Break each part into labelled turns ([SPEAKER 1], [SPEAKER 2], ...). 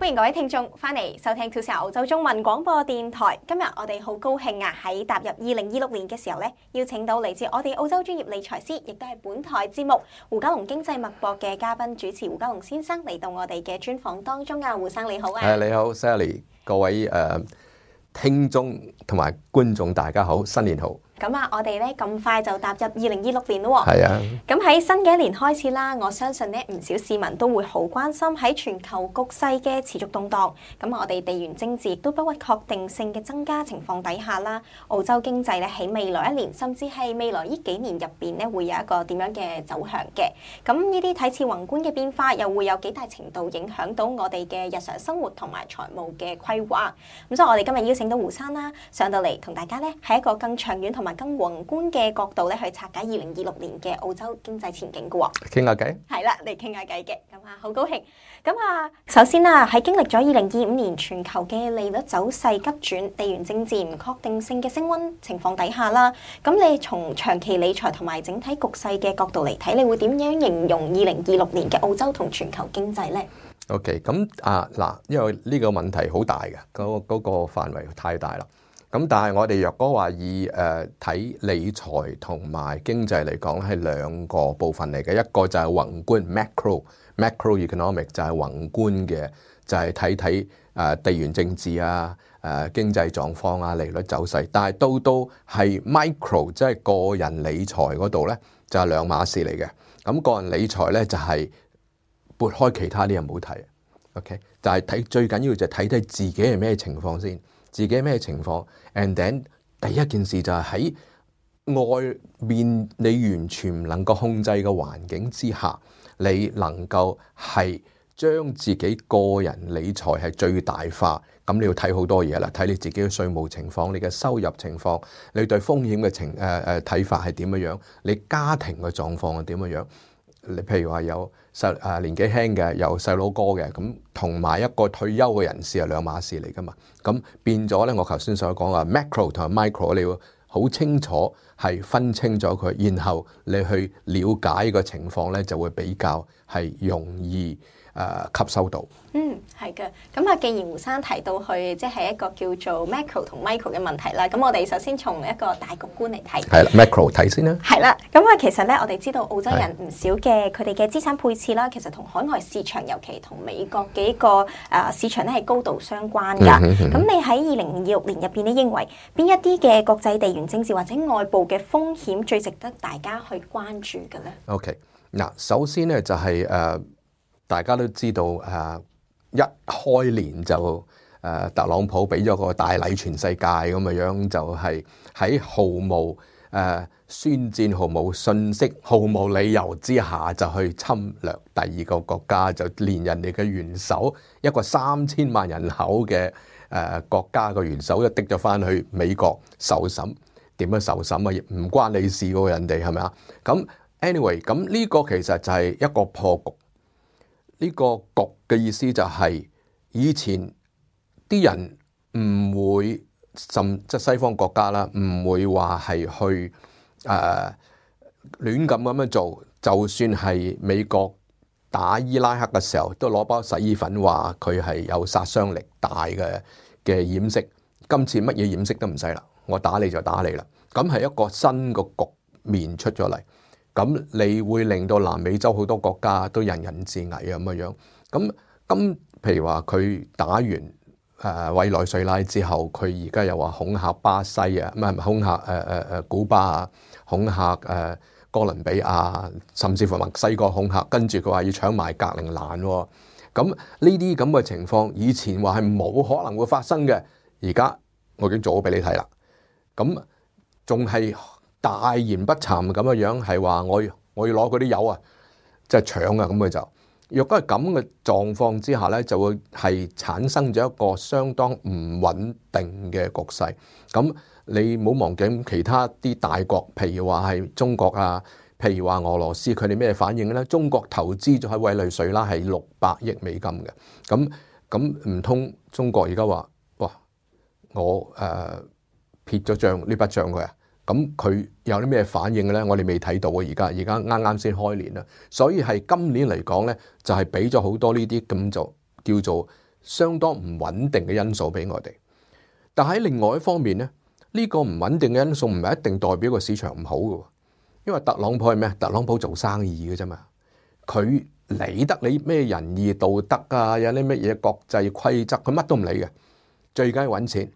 [SPEAKER 1] 歡迎各位聽眾翻嚟收聽 2CR 澳洲中文廣播電台。今日我哋好高興啊，喺踏入2026年嘅時候咧，邀請到嚟自我哋澳洲專業理財師，亦都係本台節目胡嘉龍經濟脈搏嘅嘉賓主持胡嘉龍先生嚟到我哋嘅專訪當中啊。胡生你好啊！
[SPEAKER 2] 你好 Sally， 各位聽眾同埋觀眾大家好，新年好！
[SPEAKER 1] 咁啊，我哋咧咁快就踏入2026年咯喎。
[SPEAKER 2] 係啊。咁
[SPEAKER 1] 喺新嘅一年開始啦，我相信咧唔少市民都會好關心喺全球局勢嘅持續動盪。咁我哋地緣政治亦都不屈確定性嘅增加情況底下啦，澳洲經濟咧喺未來一年，甚至係未來呢幾年入邊咧，會有一個點樣嘅走向嘅。咁呢啲睇似宏觀嘅變化，又會有幾大程度影響到我哋嘅日常生活同埋財務嘅規劃。咁所以我哋今日邀請到胡生啦，上到嚟同大家咧喺一個更長遠同埋更宏觀嘅角度咧，去拆解2026年嘅澳洲經濟前景嘅喎。
[SPEAKER 2] 傾下偈
[SPEAKER 1] 係啦，嚟傾下偈嘅。咁啊，好高興。咁啊，首先啦，喺經歷咗2025年全球嘅利率走勢急轉、地緣政治唔確定性嘅升溫情況底下啦，咁你從長期理財同埋整體局勢嘅角度嚟睇，你會點樣形容2026年嘅澳洲同全球經濟呢
[SPEAKER 2] ？OK， 咁嗱，因為呢個問題好大嘅，嗰個範圍太大啦。咁但係我哋若果話以睇理財同埋經濟嚟講，係兩個部分嚟嘅，一個就係宏觀 macroeconomic 就係宏觀嘅，就係睇地緣政治啊、經濟狀況啊、利率走勢。但係到係 micro 即係個人理財嗰度咧，就係兩碼事嚟嘅。咁個人理財咧就係撥開其他啲嘢唔好睇。OK， 就係睇最緊要就係睇自己係咩情況先。自己咩情況 ，and then 第一件事就係喺外面你完全唔能夠控制嘅環境之下，你能夠係將自己個人理財係最大化。咁你要睇好多嘢啦，睇你自己嘅稅務情況、你嘅收入情況、你對風險嘅睇法係點樣樣，你家庭嘅狀況係點樣樣。你譬如話有年紀輕嘅，有細佬哥嘅，咁同埋一個退休嘅人士係兩碼事嚟噶嘛。咁變咗咧，我頭先所講話 macro 同埋 micro， 你要好清楚係分清咗佢，然後你去了解個情況咧，就會比較係容易吸收到。
[SPEAKER 1] 係嘅。咁啊，既然胡生提到去即係一個叫做 macro 同 micro 嘅問題啦，咁我哋首先從一個大局觀嚟睇。係啦
[SPEAKER 2] ，macro 睇先啦。
[SPEAKER 1] 係啦，咁啊，其實咧，我哋知道澳洲人唔少嘅佢哋嘅資產配置啦，其實同海外市場，尤其同美國嘅一個市場咧係高度相關㗎。咁你喺2026年入邊，你認為邊一啲嘅國際地緣政治或者外部嘅風險最值得大家去關注嘅咧
[SPEAKER 2] ？OK，嗱，首先咧就係大家都知道一開年就特朗普俾咗個大禮全世界咁嘅樣，就係喺毫無宣戰、毫無信息、毫無理由之下就去侵略第二個國家，就連人哋嘅元首一個3000萬人口嘅國家嘅元首都滴咗翻去美國受審。點樣受審啊？亦唔關你事喎，人哋係咪啊？咁 anyway， 咁呢個其實就係一個破局。呢個局嘅意思就係以前啲人唔會即係西方國家啦，唔會話係去亂咁樣做。就算係美國打伊拉克嘅時候，都攞包洗衣粉話佢係有殺傷力大嘅掩飾。今次乜嘢掩飾都唔使啦，我打你就打你啦。咁係一個新嘅局面出咗嚟。咁你會令到南美洲好多國家都人人自危啊咁樣。咁譬如話佢打完委內瑞拉之後，佢而家又話恐嚇巴西啊，唔係恐嚇古巴啊，恐嚇哥倫比亞，甚至乎墨西哥恐嚇，跟住佢話要搶埋格陵蘭喎。咁呢啲咁嘅情況，以前話係冇可能會發生嘅，而家我已經做咗俾你睇啦。咁仲係大言不慚咁嘅樣，係話我要攞嗰啲油啊，即係搶啊咁嘅就。若果係咁嘅狀況之下咧，就會係產生咗一個相當唔穩定嘅局勢。咁你唔好忘記其他啲大國，譬如話係中國啊，譬如話俄羅斯，佢哋咩反應咧？中國投資咗喺委內瑞拉係600億美金嘅。咁唔通中國而家話哇，我撇咗帳呢筆帳佢啊？咁佢有啲咩反應咧？我哋未睇到啊！而家啱啱先開年啦，所以係今年嚟講咧，就係俾咗好多呢啲咁就叫做相當唔穩定嘅因素俾我哋。但喺另外一方面咧，呢個唔穩定嘅因素唔係一定代表個市場唔好嘅，因為特朗普係咩？特朗普做生意嘅啫嘛，佢理得你咩仁義道德啊，有啲乜嘢國際規則，佢乜都唔理嘅。最緊要揾錢，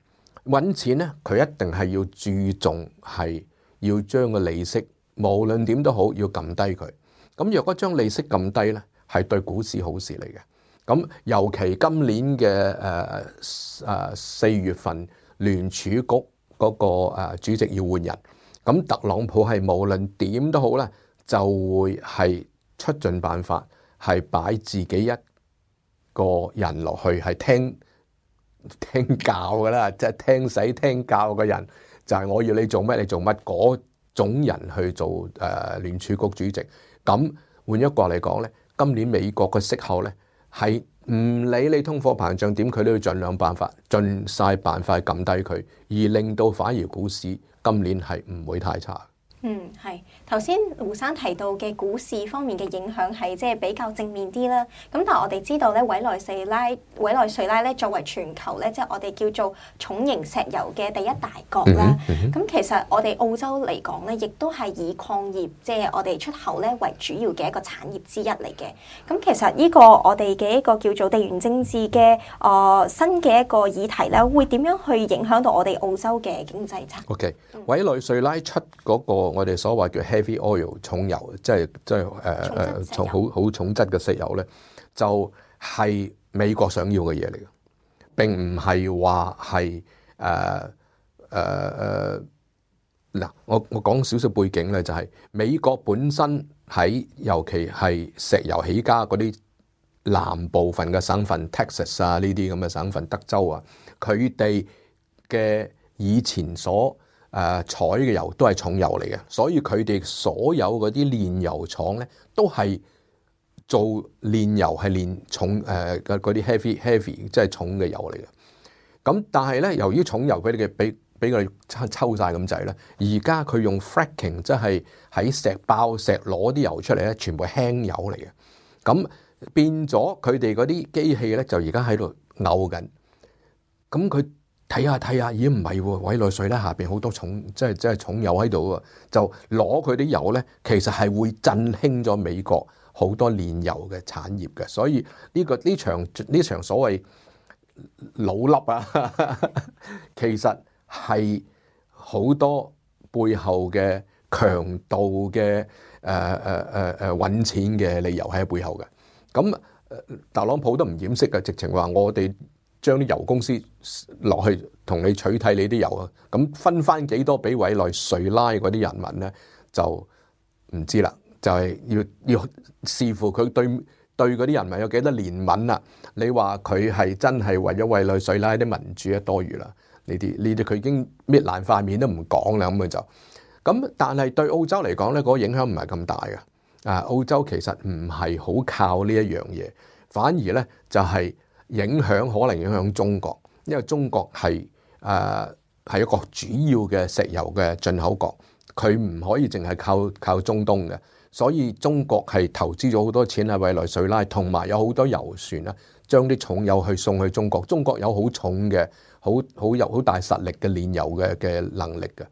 [SPEAKER 2] 揾錢咧，佢一定係要注重係要將個利息，無論點都好，要撳低佢。咁若果將利息撳低咧，係對股市好事嚟嘅。咁尤其今年嘅4月份聯儲局嗰個主席要換人，咁特朗普係無論點都好咧，就會係出盡辦法，係擺自己一個人落去，係聽教噶啦，即係聽使聽教嘅人，就係我要你做乜你做乜嗰種人去做聯儲局主席。咁換一個嚟講咧，今年美國嘅息口咧係唔理你通貨膨脹點，佢都要盡晒辦法撳低佢，而令到反而股市今年係唔會太差。
[SPEAKER 1] 係頭先胡生提到嘅股市方面嘅影響係即係比較正面啲啦。咁但係我哋知道咧，委內瑞拉咧作為全球咧即係我哋叫做重型石油嘅第一大國啦。咁其實我哋澳洲嚟講咧，亦都係以礦業即係我哋出口咧為主要嘅一個產業之一嚟嘅。咁其實呢個我哋嘅一個叫做地緣政治嘅新嘅一個議題咧，會點樣去影響到我哋澳洲嘅經濟策略？OK，
[SPEAKER 2] 委內瑞拉出嗰個我哋所謂叫 heavy oil 重油，即係好重質嘅石油咧，就係美國想要嘅嘢嚟嘅，並唔係話係嗱，我講少少背景咧，就係美國本身喺尤其係石油起家嗰啲南部分嘅省份 Texas 啊，呢啲咁嘅省份，德州啊，佢哋嘅以前所採嘅油都係重油嚟嘅，所以佢哋所有嗰啲煉油廠咧都係做煉油係煉重嗰啲 heavy 即係重嘅油嚟嘅。咁但係咧，由於重油佢哋嘅俾佢抽晒咁滯咧，而家佢用 fracking 即係喺石爆石攞啲油出嚟咧，全部輕油嚟嘅。咁變咗佢哋嗰啲機器咧就而家喺度嘔緊。咁佢睇下，咦唔係喎，委內瑞拉下邊好多重，即係重油喺度啊，就攞佢啲油咧，其實係會振興咗美國好多煉油嘅產業嘅，所以呢場所謂老笠啊，其實係好多背後嘅強度嘅揾錢嘅理由喺背後嘅。咁特朗普都唔掩飾嘅，直情話我哋將啲油公司落去同你取締你啲油啊，咁分翻幾多俾委內瑞拉嗰啲人民咧，就唔知啦，就係要視乎佢對嗰啲人民有幾多憐憫啦。你話佢係真係為咗委內瑞拉啲民主啊，多餘啦，呢啲佢已經搣爛塊面都唔講啦，咁佢就咁。但係對澳洲嚟講咧，嗰個影響唔係咁大嘅。澳洲其實唔係好靠呢一樣嘢，反而咧就係影響可能影響中國，因為中國係一個主要嘅石油嘅進口國，佢唔可以淨係靠中東嘅，所以中國係投資咗好多錢喺委內瑞拉，同埋有好多油船啦，將啲重油去送去中國。中國有好重嘅好大實力嘅煉油嘅能力嘅。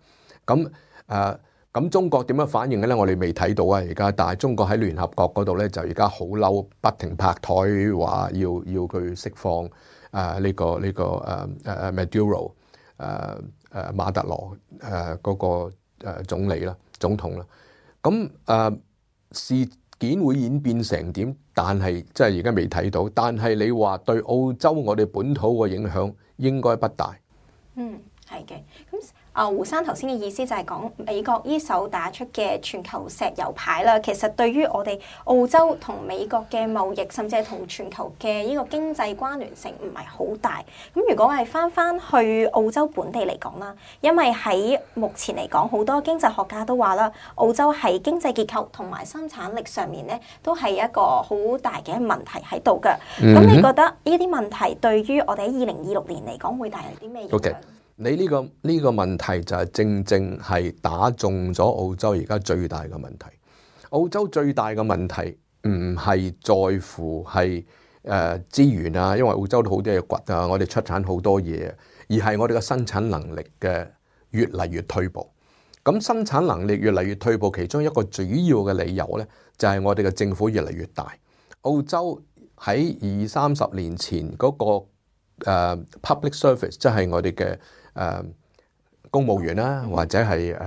[SPEAKER 2] 咁中國點樣反應嘅咧？我哋未睇到啊，而家，但係中國喺聯合國嗰度咧，就而家好嬲，不停拍台話要佢釋放呢個Maduro 馬特羅嗰個總統啦。咁事件會演變成點？但係即係而家未睇到。但係你話對澳洲我哋本土嘅影響應該不大。
[SPEAKER 1] 係嘅。咁胡生頭先嘅意思就係講美國呢手打出嘅全球石油牌啦，其實對於我哋澳洲同美國嘅貿易，甚至係同全球嘅呢個經濟關聯性唔係好大。咁如果係翻去澳洲本地嚟講啦，因為喺目前嚟講，好多經濟學家都話啦，澳洲喺經濟結構同埋生產力上面咧，都係一個好大嘅問題喺度嘅。咁你覺得呢啲問題對於我哋喺2026年嚟講會帶嚟啲咩影響？
[SPEAKER 2] 你呢個問題就係正係打中咗澳洲而家最大嘅問題。澳洲最大嘅問題唔係在乎係資源啊，因為澳洲都好多嘢掘啊，我哋出產好多嘢，而係我哋嘅生產能力嘅越嚟越退步。咁生產能力越嚟越退步，其中一個主要嘅理由咧，就係我哋嘅政府越嚟越大。澳洲喺20-30年前嗰個public service，即係我哋嘅公務員啦，或者係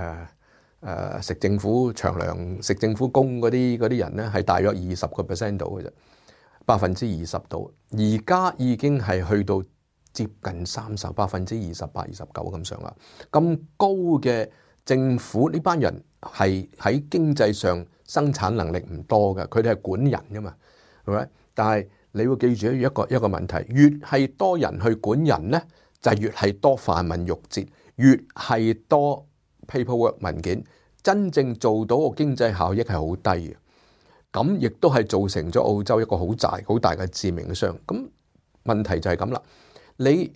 [SPEAKER 2] 食政府長糧、食政府工嗰啲人咧，係大約20% 度嘅啫，20%度。而家已經係去到接近28%、29%咁上下。咁高嘅政府呢班人係喺經濟上生產能力唔多嘅，佢哋係管人噶嘛，係咪？但係你要記住一個問題，越係多人去管人咧，就越係多繁文縟節，越係多 paperwork 文件，真正做到個經濟效益係好低嘅。咁亦都係造成咗澳洲一個好大嘅致命傷。咁問題就係咁啦，你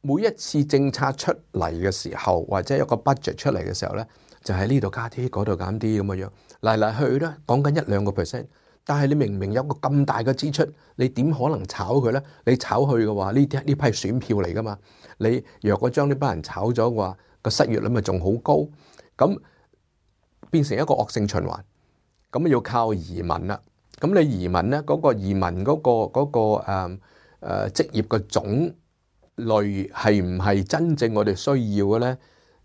[SPEAKER 2] 每一次政策出嚟嘅時候，或者一個 budget 出嚟嘅時候咧，就喺呢度加啲，嗰度減啲咁嘅樣，嚟去咧講緊1-2%。但係你明明有個咁大嘅支出，你點可能炒佢咧？你炒佢嘅話，呢批選票嚟噶嘛？你若果將呢班人炒咗嘅話，個失業率咪仲好高，咁變成一個惡性循環。咁要靠移民啦。咁你移民咧，嗰個移民嗰個職業嘅種類係唔係真正我哋需要嘅咧？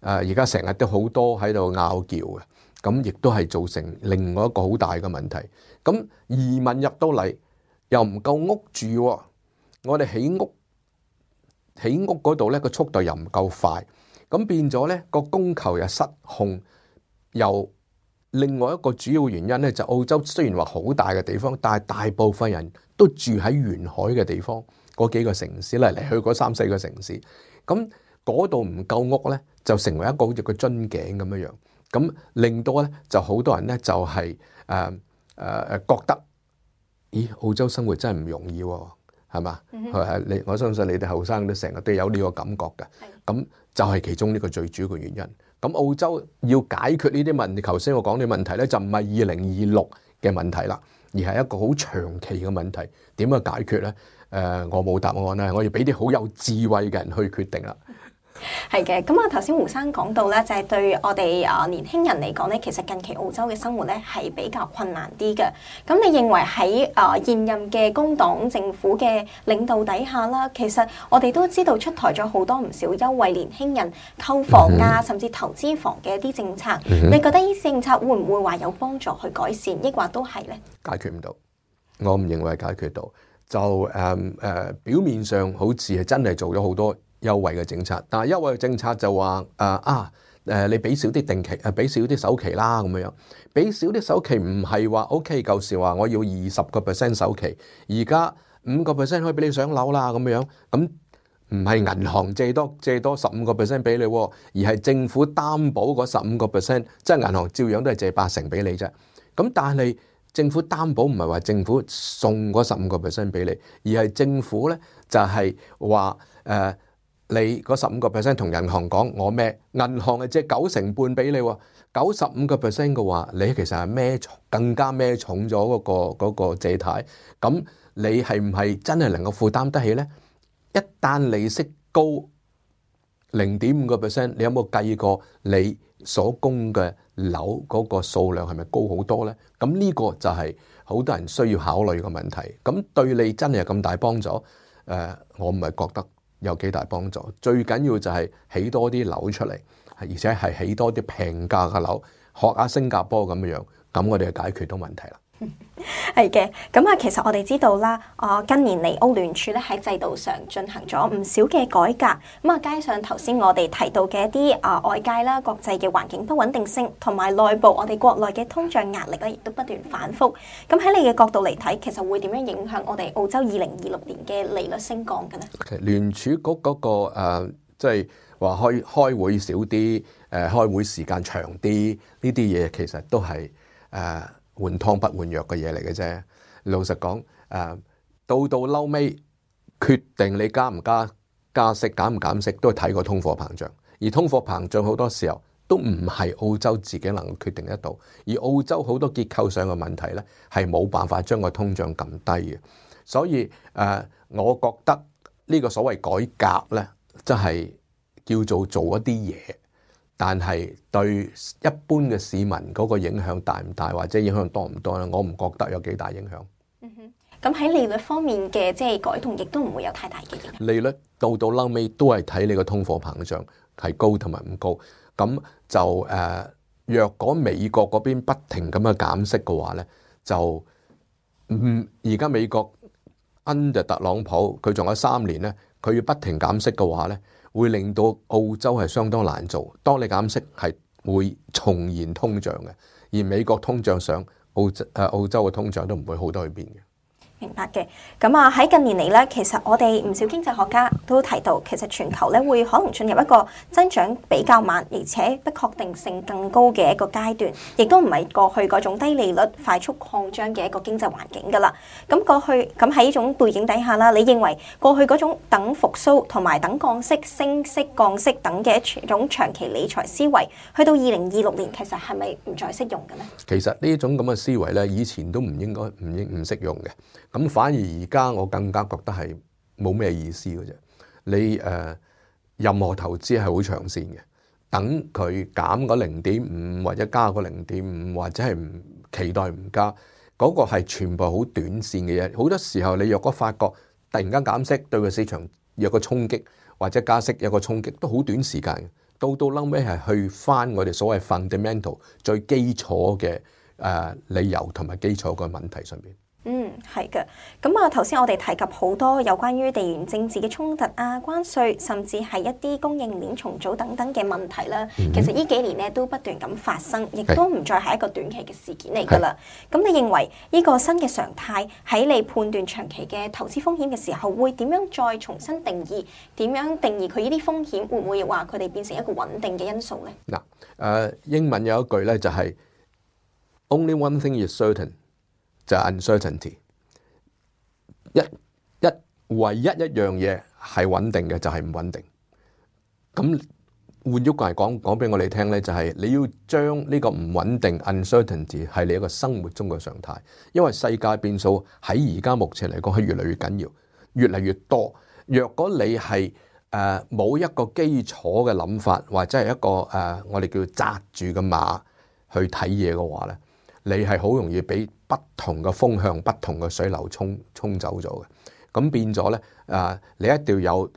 [SPEAKER 2] 而家成日都好多喺度拗撬嘅，咁亦都係造成另外一個好大嘅問題。咁移民入到嚟又唔夠屋住，我哋起屋嗰度咧個速度又唔夠快，咁變咗咧個供求又失控。又另外一個主要原因咧，就澳洲雖然話好大嘅地方，但係大部分人都住喺沿海嘅地方，嗰幾個城市嚟去嗰3-4個城市，咁嗰度唔夠屋咧，就成為一個好似個樽頸咁樣樣，咁令到咧就好多人咧就係覺得，咦，澳洲生活真係唔容易喎，係嘛？我相信你哋後生都成日都有呢個感覺嘅，咁就係其中呢個最主要嘅原因。咁澳洲要解決呢啲問題，頭先我講嘅問題咧，就唔係2026嘅問題啦，而係一個好長期嘅問題。點樣解決咧？我冇答案啦，我要俾啲好有智慧嘅人去決定啦。
[SPEAKER 1] 係嘅，咁啊頭先胡生講到咧，就係對我哋年輕人嚟講咧，其實近期澳洲嘅生活咧係比較困難啲嘅。咁你認為喺現任嘅工黨政府嘅領導底下啦，其實我哋都知道出台咗好多唔少優惠年輕人購房啊，甚至投資房嘅一啲政策。你覺得呢啲政策會唔會話有幫助去改善，抑或都係咧？
[SPEAKER 2] 解決唔到，我唔認為解決到。就表面上好似係真係做咗好多優惠嘅政策，但係優惠嘅政策就話你俾少啲定期，俾少啲首期啦咁樣，俾少啲首期唔係話 OK， 舊時話我要20% 首期，而家5% 可以俾你上樓啦咁樣，咁唔係銀行借多15% 俾你，而係政府擔保嗰15%，即係銀行照樣都係借80%俾你啫。咁但係政府擔保唔係話政府送嗰15% 俾你，而係政府咧就係話你嗰15% 同銀行講我孭，銀行係借9成半俾你，95% 嘅話，你其實係更加孭重咗嗰個借貸，咁你係唔係真係能夠負擔得起咧？一旦利息高0.5%，你有冇計過你所供嘅樓嗰個數量係咪高好多咧？咁呢個就係好多人需要考慮嘅問題。咁對你真係有咁大幫助？我唔係覺得有幾大幫助。最緊要就係起多啲樓出嚟，而且係起多啲平價嘅樓，學下新加坡咁樣，咁我哋就解決到問題啦。
[SPEAKER 1] 係嘅，咁啊，其實我哋知道啦，近年嚟澳聯儲咧喺制度上進行咗唔少嘅改革，咁啊，加上頭先我哋提到嘅一啲外界啦、國際嘅環境不穩定性，同埋內部我哋國內嘅通脹壓力咧，亦都不斷反覆。咁喺你嘅角度嚟睇，其實會點樣影響我哋澳洲2026年嘅利率升降嘅咧？聯儲局嗰個即係話開會少啲，開會時間長啲，呢啲嘢其實都係換湯不換藥嘅嘢嚟嘅啫。老實講，到嬲尾決定你加唔加息、減唔減息，都係睇個通貨膨脹。而通貨膨脹好多時候都唔係澳洲自己能夠決定得到，而澳洲好多結構上嘅問題咧，係冇辦法將個通脹撳低嘅。
[SPEAKER 2] 所以我覺得呢個所謂改革咧，即係叫做做一啲嘢，但係對一般嘅市民嗰個影響大唔大，或者影響多唔多咧？我唔覺得有幾大影響。
[SPEAKER 1] 咁喺利率方面嘅即係改動，亦都唔會有太大嘅影響。
[SPEAKER 2] 利率到嬲尾都係睇你個通貨膨脹係高同埋唔高。咁就若果美國嗰邊不停咁樣減息嘅話咧，就而家美國 under 特朗普佢仲有3年咧，佢要不停減息嘅話咧，會令到澳洲係相當難做。當你減息係會重燃通脹嘅，而美國通脹上，澳洲嘅通脹都唔會好多去邊嘅。
[SPEAKER 1] 明白嘅，咁啊喺近年嚟咧，其實我哋唔少經濟學家都提到，其實全球咧會可能進入一個增長比較慢，而且不確定性更高嘅一個階段，亦都唔係過去嗰種低利率快速擴張嘅一個經濟環境噶啦。咁喺呢種背景底下啦，你認為過去嗰種等復甦同埋等降息、升息、降息等嘅一種長期理財思維，去到2026年，其實係咪唔再適用嘅咧？
[SPEAKER 2] 其實呢種咁嘅思維咧，以前都唔適用嘅。咁反而而家我更加覺得係冇咩意思嘅啫。你任何投資係好長線嘅，等佢減個0.5或者加個0.5，或者係唔期待唔加，嗰個係全部好短線嘅嘢。好多時候你若果發覺突然間減息對個市場有個衝擊，或者加息有個衝擊，都好短時間嘅。到嬲尾係去翻我哋所謂 fundamental 最基礎嘅理由同埋基礎嘅問題上面。
[SPEAKER 1] 係嘅。咁啊，頭先我哋提及好多有關於地緣政治嘅衝突啊、關稅，甚至係一啲供應鏈重組等等嘅問題啦。其實呢幾年咧都不斷咁發生，亦都唔再係一個短期嘅事件嚟㗎啦。咁你認為呢個新嘅常態喺你判斷長期嘅投資風險嘅時候，會點樣再重新定義？點樣定義佢呢啲風險？會唔會話佢哋變成一個穩定嘅因素咧？
[SPEAKER 2] 嗱，英文有一句咧就係 Only one thing is certain， 就係 uncertainty。唯一一樣嘢係穩定嘅就係唔穩定。咁換句話講俾我哋聽咧，就係你要將呢個唔穩定 uncertainty 係你一個生活中嘅常態，因為世界變數喺而家目前嚟講係越嚟越緊要，越嚟越多。若果你係冇一個基礎嘅諗法，或者係一個我哋叫紮住嘅馬去睇嘢嘅話咧，你係好容易俾不同嘅風向、不同嘅水流沖走咗嘅。咁變咗咧，你一定要有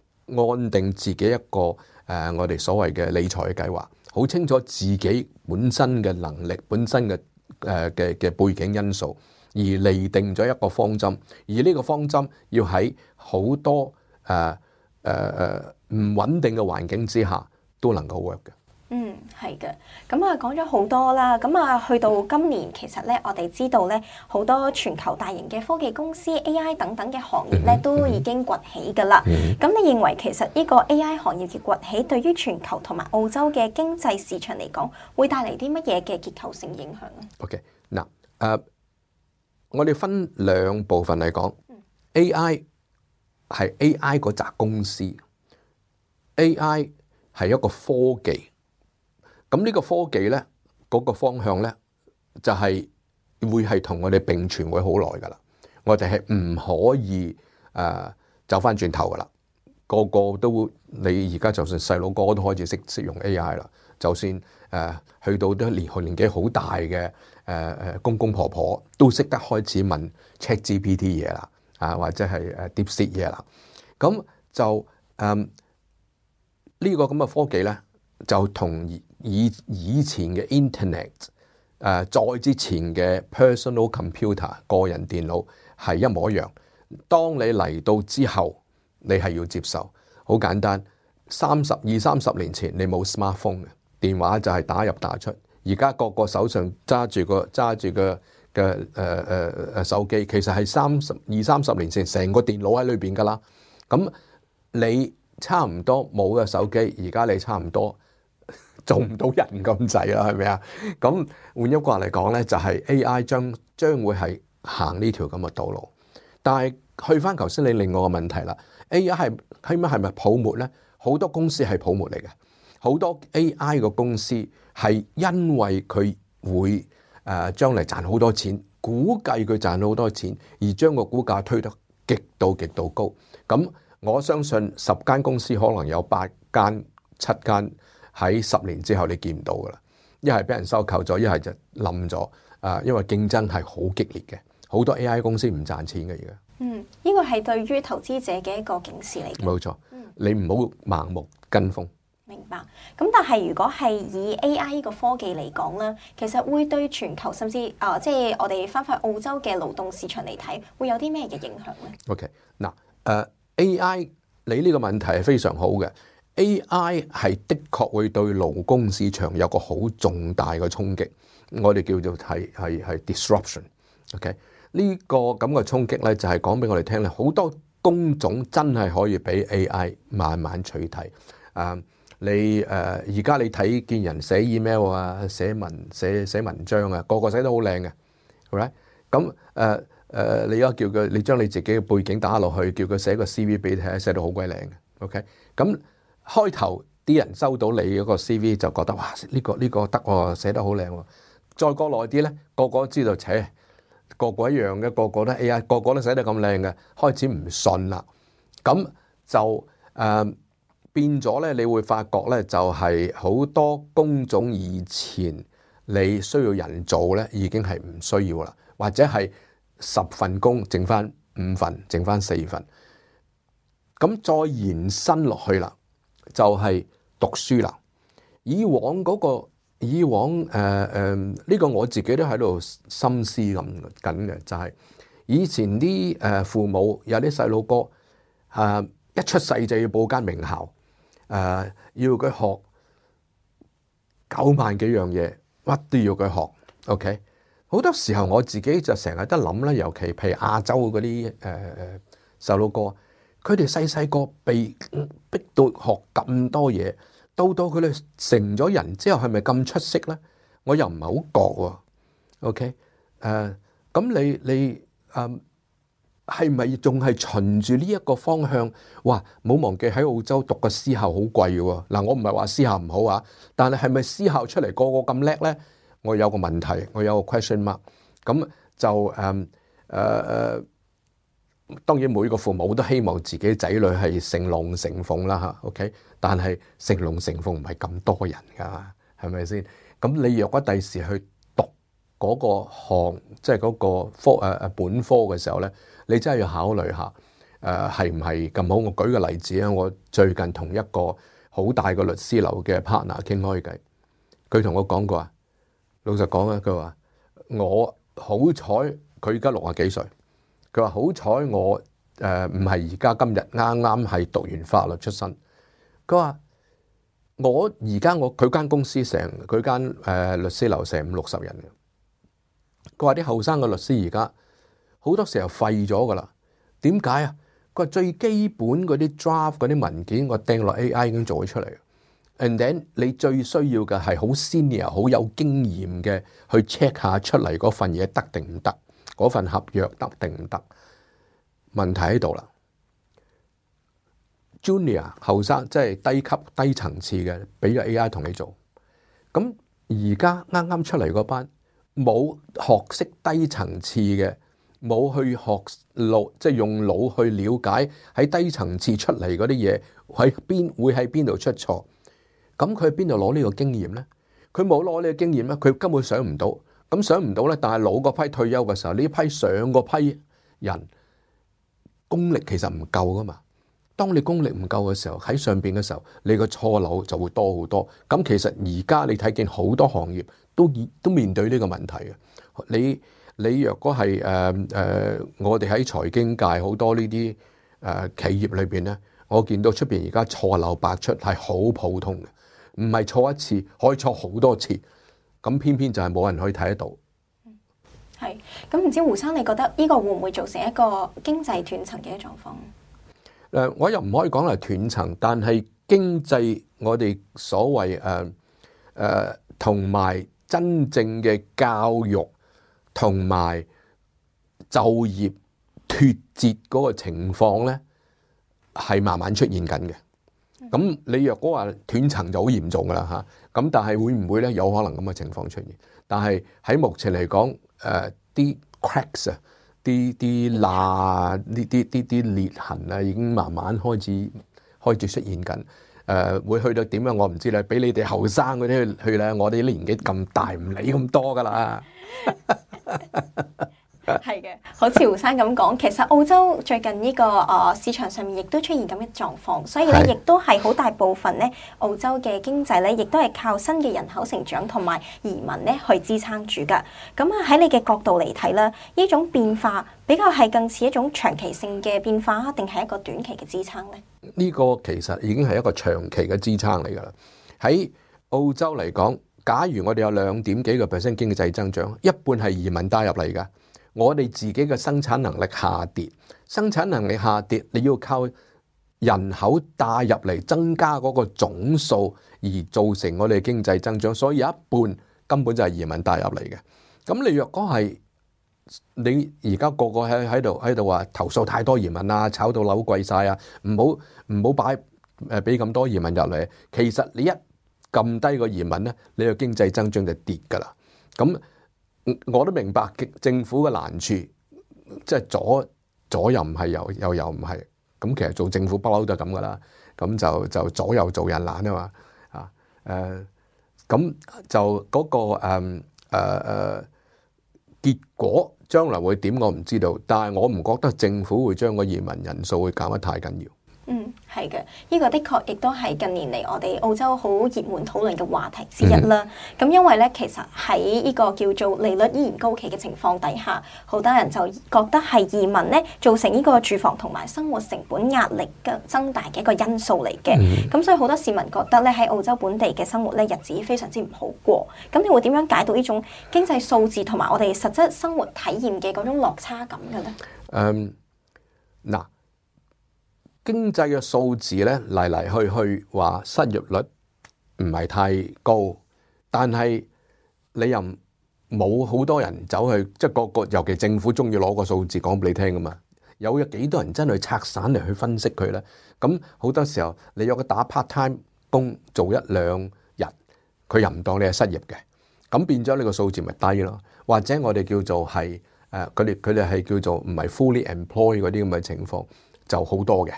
[SPEAKER 2] 安定自己一個我哋所謂嘅理財嘅計劃，好清楚自己本身嘅能力、本身嘅背景因素，而釐定咗一個方針。而呢個方針要喺好多唔穩定嘅環境之下都能夠 work 嘅。
[SPEAKER 1] 係嘅，咁啊講咗好多啦，咁啊去到今年，其實咧我哋知道咧好多全球大型嘅科技公司 AI 等等嘅行業咧都已經崛起噶啦。咁你認為其實呢個 AI 行業嘅崛起對於全球同埋澳洲嘅經濟市場嚟講，會帶嚟啲乜嘢嘅結構性影響咧
[SPEAKER 2] ？OK， 嗱，我哋分兩部分嚟講，AI 係 AI 嗰扎公司 ，AI 係一個科技。咁呢個科技咧，嗰個方向咧，就係會係同我哋並存會好耐噶啦。我哋係唔可以走翻轉頭噶啦。個個都你而家就算細佬哥都開始識用 AI 啦。就算去到啲年紀好大嘅公公婆婆都識得開始問 ChatGPT 嘢啦，或者係DeepSeek 嘢啦。咁就呢個咁嘅科技咧，就同以前嘅 Internet， 再之前嘅 personal computer 個人電腦係一模一樣。當你嚟到之後，你係要接受。好簡單，30年前你冇 smartphone 嘅電話就係打入打出。而家個個手上揸住個手機，其實係30年前成個電腦喺裏邊噶啦。咁你差唔多冇嘅手機，而家你差唔多做唔到人咁滯啦，係咪啊？咁換一句話嚟講咧，就係 AI 將會係行呢條咁嘅道路。但係去翻頭先你另外個問題啦，AI 係咪泡沫咧？好多公司係泡沫嚟嘅，好多 AI 嘅公司係因為佢會將嚟賺好多錢，估計佢賺好多錢，而將個股價推得極度高。咁我相信10間公司可能有8間、7間喺10年之後你見唔到噶啦，一係俾人收購咗，一係就冧咗。因為競爭係好激烈嘅，好多 AI 公司唔賺錢嘅而家。
[SPEAKER 1] 呢個係對於投資者嘅一個警示嚟嘅。
[SPEAKER 2] 冇錯，你唔好盲目跟風。
[SPEAKER 1] 明白。咁但係如果係以 AI 呢個科技嚟講咧，其實會對全球甚至即係我哋翻返澳洲嘅勞動市場嚟睇，會有啲咩嘅影響咧
[SPEAKER 2] ？OK， 嗱，AI 你呢個問題係非常好嘅。AI 係的確會對勞工市場有個好重大嘅衝擊，我哋叫做係 disruption。OK， 呢個咁嘅衝擊咧，就係講俾我哋聽咧，好多工種真係可以俾 AI 慢慢取替。你而家你睇見人寫 email 啊、寫文章啊，個個寫得好靚嘅，係咪？咁你而家叫佢，你將你自己嘅背景打落去，叫佢寫個 CV 俾你睇，寫到好鬼靚嘅。OK， 咁開頭啲人收到你嗰個 CV 就覺得哇，呢個得喎，寫得好靚喎。再過耐啲咧，個個都知道，個個一樣嘅，個個都 AI，個個都寫得咁靚嘅，開始唔信啦。咁就變咗咧，你會發覺咧，就係好多工種以前你需要人做咧，已經係唔需要啦，或者係10份工剩翻5份，剩翻4份。咁再延伸落去啦，就係讀書啦。以往呢個我自己都喺度深思緊嘅，就係以前啲父母有啲細路哥一出世就要報間名校。要佢學9萬幾樣嘢，乜都要佢學。OK， 好多時候我自己就成日都諗啦，尤其譬如亞洲嗰啲細路哥，佢哋細個被逼到學咁多嘢，到佢哋成咗人之後，係咪咁出色咧？我又唔係好覺喎。OK， 咁你係咪仲係循住呢一個方向？哇！冇忘記喺澳洲讀個私校好貴嘅喎。嗱，我唔係話私校唔好啊，但係咪私校出嚟個個咁叻咧？我有個問題，我有個 question mark。咁就當然每個父母都希望自己仔女係成龍成鳳啦嚇。OK， 但係成龍成鳳唔係咁多人㗎，係咪先？咁你若果第時去讀嗰個項，即係嗰個本科嘅時候咧，你真係要考慮下，係唔係咁好？我舉個例子啊，我最近同一個好大個律師樓嘅 partner 傾開偈，佢同我講過啊，老實講啊，佢話我好彩，佢而家60幾歲，佢話好彩我唔係而家今日啱啱係讀完法律出身，佢話我而家佢間公司佢間律師樓成50-60人嘅，佢話啲後生嘅律師而家好多時候廢咗噶啦，點解啊？佢話最基本嗰啲 draft 嗰啲文件，我掟落 AI 已經做咗出嚟。And then 你最需要嘅係好 senior、好有經驗嘅去 check 下出嚟嗰份嘢得定唔得，嗰份合約得定唔得？問題喺度啦。Junior 後生即係低級低層次嘅，俾咗 AI 同你做。咁而家啱啱出嚟嗰班冇學識低層次嘅。冇去學腦，即係用腦去了解喺低層次出嚟嗰啲嘢會喺邊度出錯，咁佢喺邊度攞呢個經驗咧？佢冇攞呢個經驗咧，佢根本想唔到。咁想唔到咧，但係老嗰批退休嘅時候，呢批上嗰批人功力其實唔夠噶嘛。當你功力唔夠嘅時候，喺上邊嘅時候，你個錯漏就會多好多。咁其實而家你睇見好多行業都面對呢個問題嘅。你若果係我哋喺財經界好多呢啲企業裏邊咧，我見到出邊而家錯漏百出係好普通嘅，唔係錯一次可以錯好多次，咁偏偏就係冇人可以睇得到。
[SPEAKER 1] 係，咁唔知胡生你覺得呢個會唔會造成一個經濟斷層嘅狀況？
[SPEAKER 2] 我又唔可以講係斷層，但係經濟我哋所謂同埋真正嘅教育。同埋就業脫節嗰個情況咧，係慢慢出現緊嘅。咁你若果話斷層就好嚴重噶啦嚇，咁但係會唔會咧？有可能咁嘅情況出現。但係喺目前嚟講，啲 cracks 啊，啲罅、啲裂痕啊，已經慢慢開始出現緊。會去到點樣我唔知啦，俾你哋後生嗰啲去咧，我哋啲年紀咁大唔理咁多噶啦。
[SPEAKER 1] 係嘅，好似胡生咁講，其實澳洲最近呢個市場上面亦都出現咁嘅狀況，所以咧亦都係好大部分咧澳洲嘅經濟咧，亦都係靠新嘅人口成長同埋移民咧去支撐住噶。咁啊喺你嘅角度嚟睇啦，呢種變化比較係更似一種長期性嘅變化，定係一個短期嘅支撐咧？呢
[SPEAKER 2] 個其實已經係一個長期嘅支撐嚟噶啦。喺澳洲嚟講，假如我哋有2.幾個%經濟增長，一半係移民帶入嚟噶。我哋自己嘅生產能力下跌，你要靠人口帶入嚟增加嗰個總數而造成我哋經濟增長，所以有一半根本就係移民帶入嚟嘅。咁你若果係你而家個個喺度話投訴太多移民啊，炒到樓貴晒啊，唔好俾咁多移民入嚟，其實你一撳低個移民咧，你個經濟增長就跌噶啦。咁我都明白政府嘅難處，即係左又唔係，右又唔係。咁其實做政府不嬲都係咁噶啦。咁就左右做人難啊嘛。咁就嗰個結果將來會點我唔知道，但係我唔覺得政府會將個移民人數會減得太緊要。
[SPEAKER 1] 係嘅，呢個的確亦都係近年嚟我哋澳洲好熱門討論嘅話題之一啦。咁因為咧，其實喺呢個叫做利率依然高企嘅情況底下，好多人就覺得係移民咧造成呢個住房同埋生活成本壓力嘅增大嘅一個因素嚟嘅。咁所以好多市民覺得咧喺澳洲本地嘅生活咧日子非常之唔好過。咁你會點樣解讀呢種經濟數字同埋我哋實質生活體驗嘅嗰種落差感嘅咧？
[SPEAKER 2] 嗱。經濟嘅數字咧嚟去話失業率唔係太高，但係你又冇好多人走去，即係個尤其政府中意攞個數字講俾你聽噶嘛。有幾多人真係拆散嚟去分析佢咧？咁好多時候你有個打 part time 工做1-2日，佢又唔當你係失業嘅，咁變咗呢個數字咪低咯。或者我哋叫做係佢哋係叫做唔係 fully employed 嗰啲咁嘅情況就好多嘅。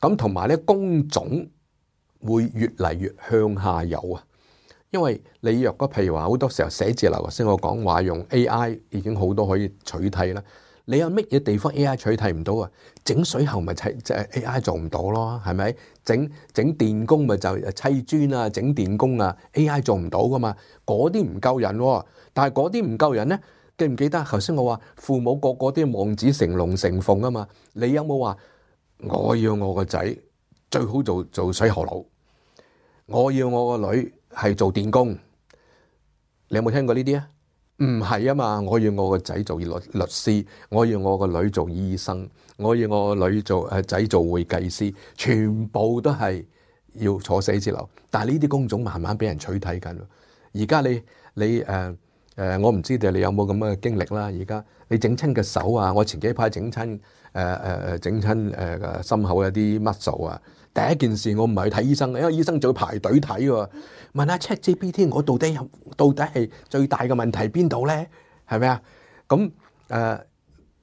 [SPEAKER 2] 咁同埋咧，工種會越嚟越向下游啊！因為你若果譬如話好多時候寫字樓，頭先我講話用 AI 已經好多可以取替啦。你有乜嘢地方 AI 取替唔到啊？整水喉咪即係 AI 做唔到咯，係咪？整電工咪就砌磚啊，整電工啊 AI 做唔到噶嘛？嗰啲唔夠人喎，但係嗰啲唔夠人咧，記唔記得頭先我話父母個個啲望子成龍成鳳啊嘛？你有冇話？我要我個仔最好做水喉佬，我要我個女係做電工。你有冇聽過呢啲啊？唔係啊嘛，我要我個仔做律師，我要我個女做醫生，我要我個女仔做會計師，全部都係要坐寫字樓。但係呢啲工種慢慢俾人取締緊。而家你我唔知道你有冇咁嘅經歷啦。而家你整親個手啊，我前幾排整親心口有啲 muscle 啊，第一件事我唔係去睇醫生，因為醫生仲要排隊睇喎。問下 ChatGPT， 我到底係最大嘅問題邊度咧？係咪啊？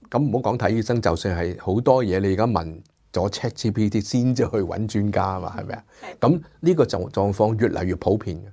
[SPEAKER 2] 咁唔好講睇醫生，就算係好多嘢，你而家問咗 ChatGPT 先至去揾專家啊嘛，係咪啊？咁呢個狀況越嚟越普遍嘅。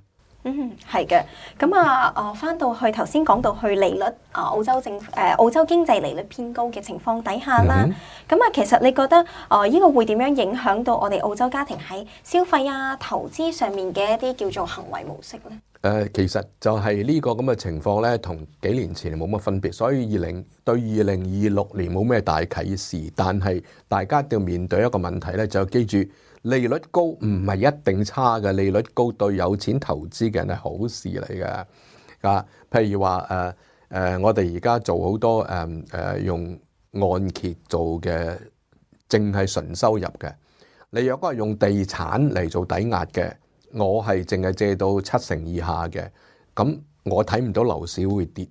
[SPEAKER 1] 係嘅。咁翻到去頭先講到去利率，澳洲經濟利率偏高嘅情況底下啦。咁其實你覺得呢個會點樣影響到我哋澳洲家庭喺消費啊、投資上面嘅一啲叫做行為模式咧？
[SPEAKER 2] 其實就係呢個咁嘅情況咧，同幾年前冇乜分別，所以對2026年冇咩大啟示。但係大家都要面對一個問題咧，就記住。利率高唔係一定差嘅，利率高對有錢投資嘅人係好事嚟嘅。譬如話我哋而家做好多用按揭做嘅，淨係純收入嘅。你若果係用地產嚟做抵押嘅，我係淨係借到70%以下嘅，咁我睇唔到樓市會跌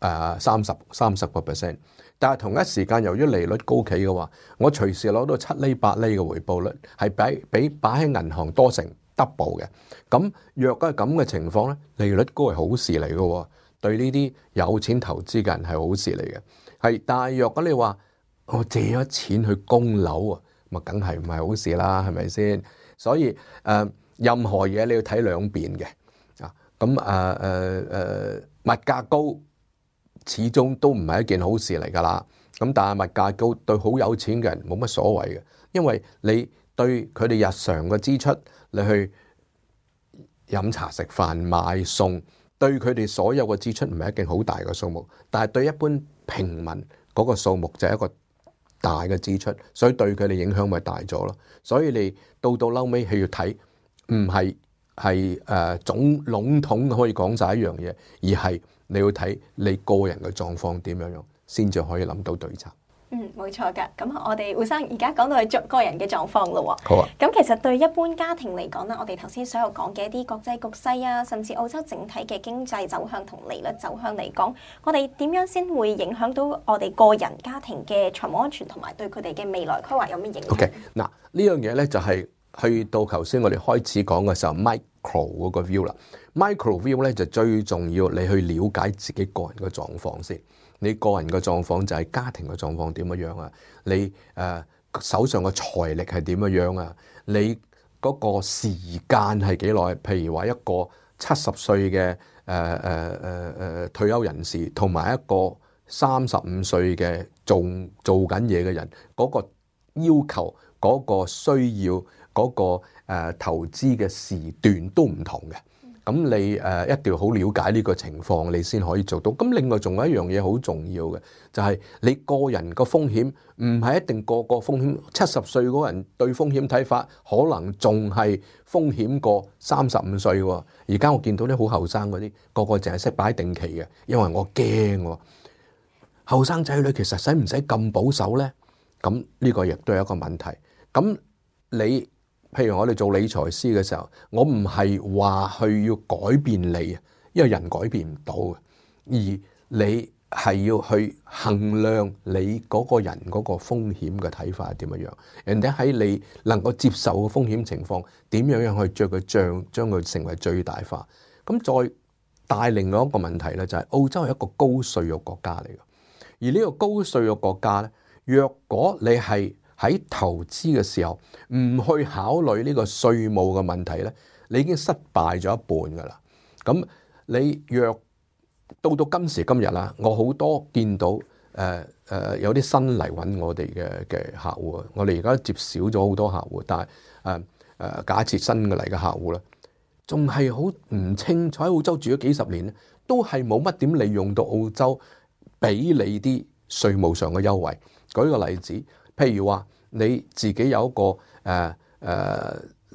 [SPEAKER 2] 30%。但係同一時間，由於利率高企嘅話，我隨時攞到7厘8厘嘅回報率，係比擺喺銀行多成 double 嘅。咁若果係咁嘅情況咧，利率高係好事嚟嘅，對呢啲有錢投資嘅人係好事嚟嘅。係，但係若果你話我借咗錢去供樓啊，咪梗係唔係好事啦，係咪先？所以任何嘢你要睇兩邊嘅啊。咁物價高始終都唔係一件好事嚟㗎啦。咁但係物價高對好有錢嘅人冇乜所謂嘅，因為你對佢哋日常嘅支出，你去飲茶食飯買餸，對佢哋所有嘅支出唔係一件好大嘅數目，但係對一般平民嗰個數目就係一個大嘅支出，所以對佢哋影響咪大咗咯。所以你到嬲尾係要睇，唔係總籠統可以講晒一樣嘢，而係你要睇你個人嘅狀況點樣，先至可以諗到對策。
[SPEAKER 1] 冇錯㗎。咁我哋胡生而家講到係個人嘅狀況咯。
[SPEAKER 2] 好啊。
[SPEAKER 1] 咁其實對一般家庭嚟講啦，我哋頭先所有講嘅一啲國際局勢啊，甚至澳洲整體嘅經濟走向同利率走向嚟講，我哋點樣先會影響到我哋個人家庭嘅財務安全，同埋對佢哋嘅未來規劃有咩影響
[SPEAKER 2] ？OK， 嗱呢樣嘢咧就係去到頭先我哋開始講嘅時候 micro 嗰個 view 啦。micro view 咧就最重要，你去了解自己個人嘅狀況先。你個人嘅狀況就係家庭嘅狀況點樣啊？你手上嘅財力係點樣啊？你嗰個時間係幾耐？譬如話一個70歲嘅退休人士，同埋一個35歲嘅做緊嘢嘅人，嗰個要求、嗰個需要、嗰個投資嘅時段都唔同嘅。咁你一定要好了解呢個情況，你先可以做到。咁另外仲有一樣嘢好重要嘅，就係你個人個風險唔係一定個風險。70歲嗰個人對風險睇法，可能仲係風險過35歲喎。而家我見到啲好後生嗰啲，個個淨係識擺定期嘅，因為我驚喎。後生仔女其實使唔使咁保守咧？咁呢個亦都係一個問題。咁你譬如我哋做理財師嘅時候，我唔係話去要改變你，因為人改變唔到嘅，而你係要去衡量你嗰個人嗰個風險嘅睇法係點樣。人哋喺你能夠接受嘅風險情況，點樣去將佢成為最大化。咁再帶另外一個問題咧，就係澳洲係一個高稅嘅國家嚟嘅，而呢個高稅嘅國家咧，若果你係喺投資嘅時候唔去考慮呢個稅務嘅問題咧，你已經失敗咗一半噶啦。咁你若到今時今日啦，我好多見到有啲新嚟揾我哋嘅客戶，我哋而家接少咗好多客戶，但係假設新嘅嚟嘅客戶咧，仲係好唔清楚喺澳洲住咗幾十年咧，都係冇乜點利用到澳洲俾你啲稅務上嘅優惠。舉個例子。譬如話你自己有一個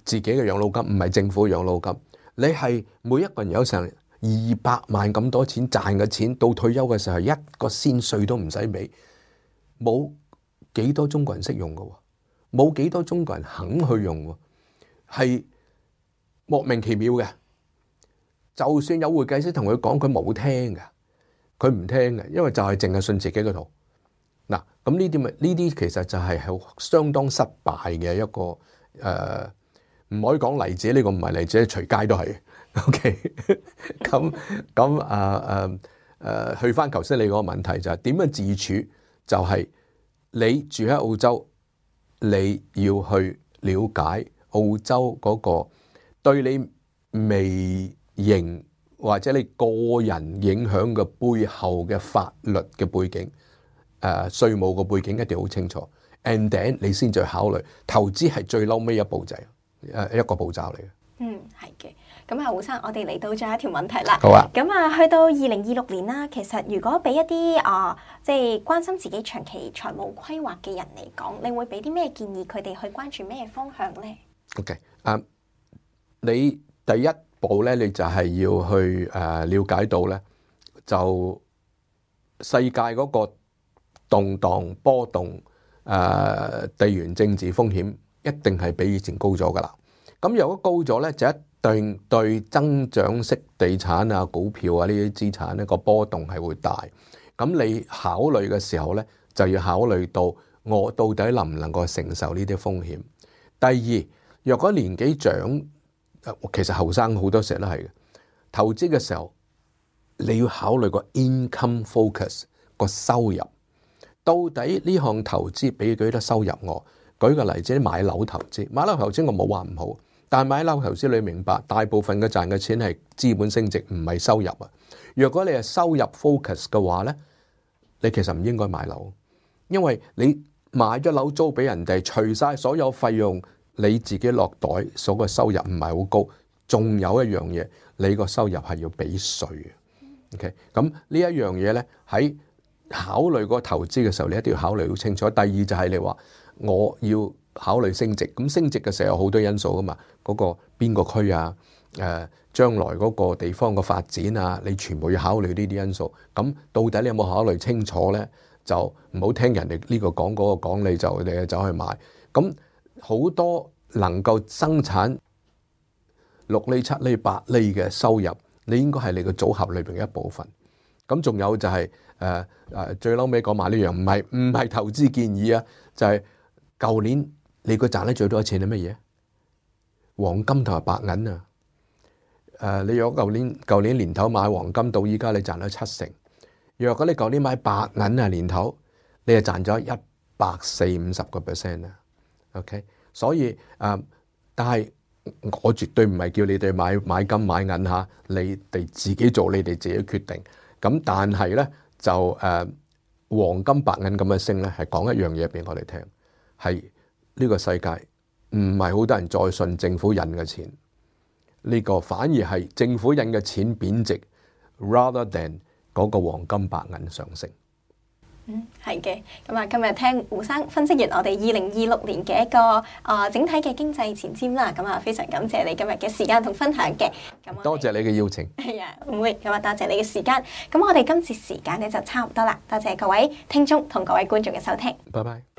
[SPEAKER 2] 自己嘅養老金，唔係政府養老金，你係每一個人有成200萬咁多錢賺嘅錢，到退休嘅時候一個仙稅都唔使俾，冇幾多中國人識用嘅，冇幾多中國人肯去用，係莫名其妙嘅。就算有會計師同佢講，佢冇聽嘅，佢唔聽嘅，因為就係淨係信自己嗰套。嗱，咁呢啲其實就係相當失敗嘅一個唔可以講例子，呢個唔係例子，隨街都係。OK， 去翻頭先你嗰個問題就係點樣自處，就係你住喺澳洲，你要去了解澳洲嗰個對你微型或者你個人影響嘅背後嘅法律嘅背景。稅務個背景一定好清楚 ，and then 你先再考慮投資係最嬲尾一步仔，一個步驟嚟嘅。
[SPEAKER 1] 係嘅。咁胡生，我哋嚟到最後一條問題啦。
[SPEAKER 2] 好啊。
[SPEAKER 1] 咁去到2026年啦，其實如果俾一啲即係關心自己長期財務規劃嘅人嚟講，你會俾啲咩建議佢哋去關注咩方向咧
[SPEAKER 2] ？OK， 你第一步咧，你就係要去了解到咧，就世界嗰個動盪波動，地緣政治風險一定係比以前高咗噶啦。咁如果高咗咧，就一定對增長式地產啊、股票啊呢啲資產咧個波動係會大。咁你考慮嘅時候咧，就要考慮到我到底能唔能夠承受呢啲風險。第二，若果年紀長，其實後生好多時候都係嘅，投資嘅時候你要考慮個 income focus 個收入，到底呢項投資俾幾多收入我？舉個例子，買樓投資，買樓投資我冇話唔好，但係買樓投資你明白，大部分嘅賺嘅錢係資本升值，唔係收入啊。若果你係收入 focus 嘅話咧，你其實唔應該買樓，因為你買咗樓租俾人哋，除晒所有費用，你自己落袋所個收入唔係好高，仲有一樣嘢，你個收入係要俾稅嘅。OK， 咁呢一樣嘢咧，喺考慮個投資嘅時候，你一定要考慮好清楚。第二就係你話我要考慮升值，咁升值嘅時候有好多因素噶嘛，嗰個邊個區啊，將來嗰個地方嘅發展啊，你全部要考慮呢啲因素。咁到底你有冇考慮清楚咧？就唔好聽人哋呢個講嗰個講，你就走去買。咁好多能夠生產6厘、7厘、8厘嘅收入，你應該係你個組合裏邊嘅一部分。咁仲有就係最嬲尾講埋呢樣，唔係投資建議啊，就係舊年你個賺得最多嘅錢係乜嘢？黃金同埋白銀啊！你若舊年年頭買黃金到依家，你賺咗7成。若果你舊年買白銀啊，年頭你係賺咗140-150% 啊。OK， 所以但係我絕對唔係叫你哋買金買銀嚇，你哋自己做，你哋自己決定。咁但係咧就黃金白銀咁嘅升咧，係講一樣嘢俾我哋聽，係呢個世界唔係好多人再信政府印嘅錢。呢個反而係政府印嘅錢貶值 ，rather than 嗰個黃金白銀上升。
[SPEAKER 1] 係嘅。咁啊，今日聽胡生分析完我哋2026年嘅一個整體嘅經濟前瞻啦。咁啊，非常感謝你今日嘅時間同分享嘅。咁
[SPEAKER 2] 多謝你嘅邀請。
[SPEAKER 1] 係啊，唔會。咁啊，多謝你嘅時間。咁我哋今次時間咧就差唔多啦。多謝各位聽眾同各位觀眾嘅收聽。
[SPEAKER 2] 拜拜。